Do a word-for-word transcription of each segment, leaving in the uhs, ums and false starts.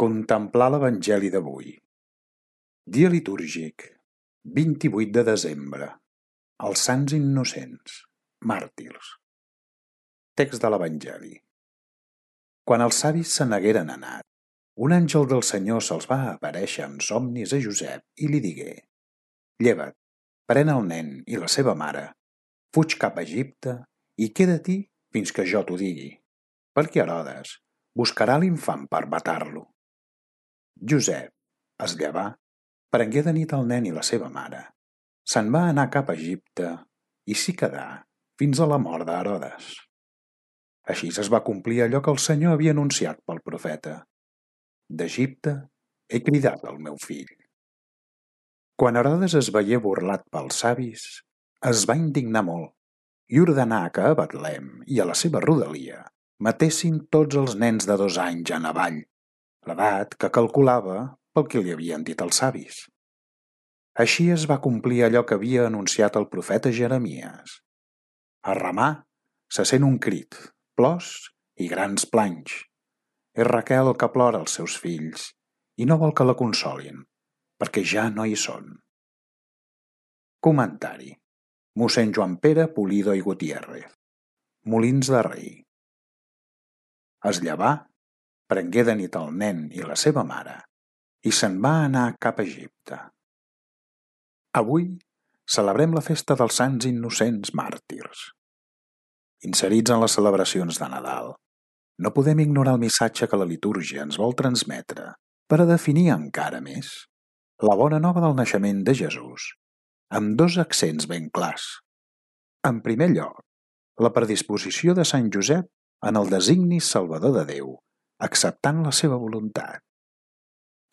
Contemplar l'Evangeli d'avui. Dia litúrgic, vint-i-vuit de desembre. Els Sants Innocents, màrtirs. Text de l'Evangeli. Quan els savis se n'hagueren anat, un àngel del Senyor se'ls va aparèixer en somnis a Josep i li digué: Lleva't, pren el nen i la seva mare, fuig cap a Egipte i queda-t'hi fins que jo t'ho digui, perquè Herodes buscarà l'infant per matar-lo. Josep es llevà, prengué de nit el nen i la seva mare, se'n va anar cap a Egipte i s'hi quedà fins a la mort d'Herodes. Així es va complir allò que el Senyor havia anunciat pel profeta: d'Egipte he cridat el meu fill. Quan Herodes es veié burlat pels savis, es va indignar molt i ordenà que a Betlem i a la seva rodalia matessin tots els nens de dos anys en avall, l'edat que calculava pel que li havien dit els savis. Així es va complir allò que havia anunciat el profeta Jeremies. A Ramà se sent un crit, plors i grans planys. És Raquel que plora els seus fills i no vol que la consolin, perquè ja no hi són. Comentari. Mossèn Joan Pere Pulido i Gutiérrez, Molins de Rei. Es llevà, prengué de nit el nen i la seva mare i se'n va anar cap a Egipte. Avui celebrem la festa dels Sants Innocents màrtirs. Inserits en les celebracions de Nadal, no podem ignorar el missatge que la litúrgia ens vol transmetre per a definir encara més la bona nova del naixement de Jesús, amb dos accents ben clars. En primer lloc, la predisposició de Sant Josep en el designi salvador de Déu, acceptant la seva voluntat.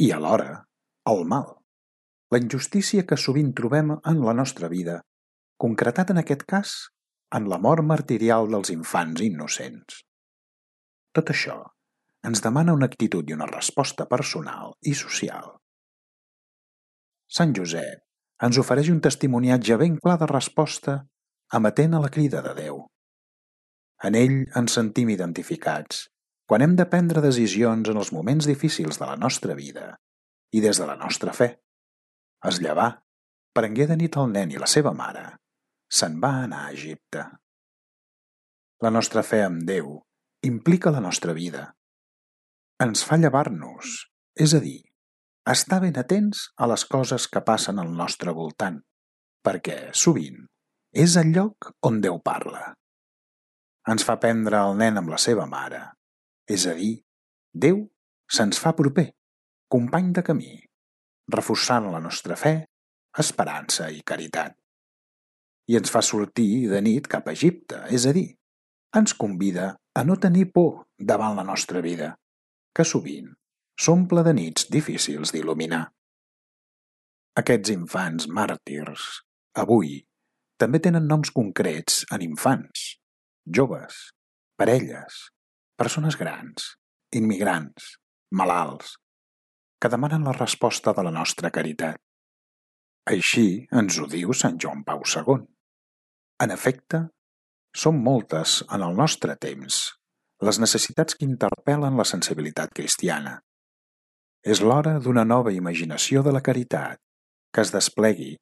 I alhora, el mal, la injustícia que sovint trobem en la nostra vida, concretat en aquest cas en la mort martirial dels infants innocents. Tot això ens demana una actitud i una resposta personal i social. Sant Josep ens ofereix un testimoniatge ben clar de resposta emetent a la crida de Déu. En ell ens sentim identificats quan hem de prendre decisions en els moments difícils de la nostra vida i des de la nostra fe. Es llevà, prengué de nit el nen i la seva mare, se'n va anar a Egipte. La nostra fe en Déu implica la nostra vida. Ens fa llevar-nos, és a dir, estar ben atents a les coses que passen al nostre voltant, perquè, sovint, és el lloc on Déu parla. Ens fa prendre el nen amb la seva mare, és a dir, Déu se'ns fa proper, company de camí, reforçant la nostra fe, esperança i caritat. I ens fa sortir de nit cap a Egipte, és a dir, ens convida a no tenir por davant la nostra vida, que sovint s'omple de nits difícils d'il·luminar. Aquests infants màrtirs, avui, també tenen noms concrets en infants, joves, parelles, persones grans, immigrants, malalts, que demanen la resposta de la nostra caritat. Així ens ho diu Sant Joan Pau segon. En efecte, són moltes en el nostre temps les necessitats que interpel·len la sensibilitat cristiana. És l'hora d'una nova imaginació de la caritat que es desplegui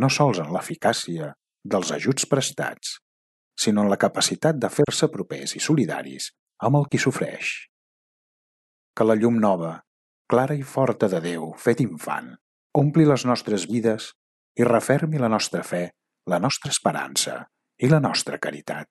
no sols en l'eficàcia dels ajuts prestats, sinó en la capacitat de fer-se propers i solidaris amb el qui sofreix. Que la llum nova, clara i forta de Déu fet infant, ompli les nostres vides i refermi la nostra fe, la nostra esperança i la nostra caritat.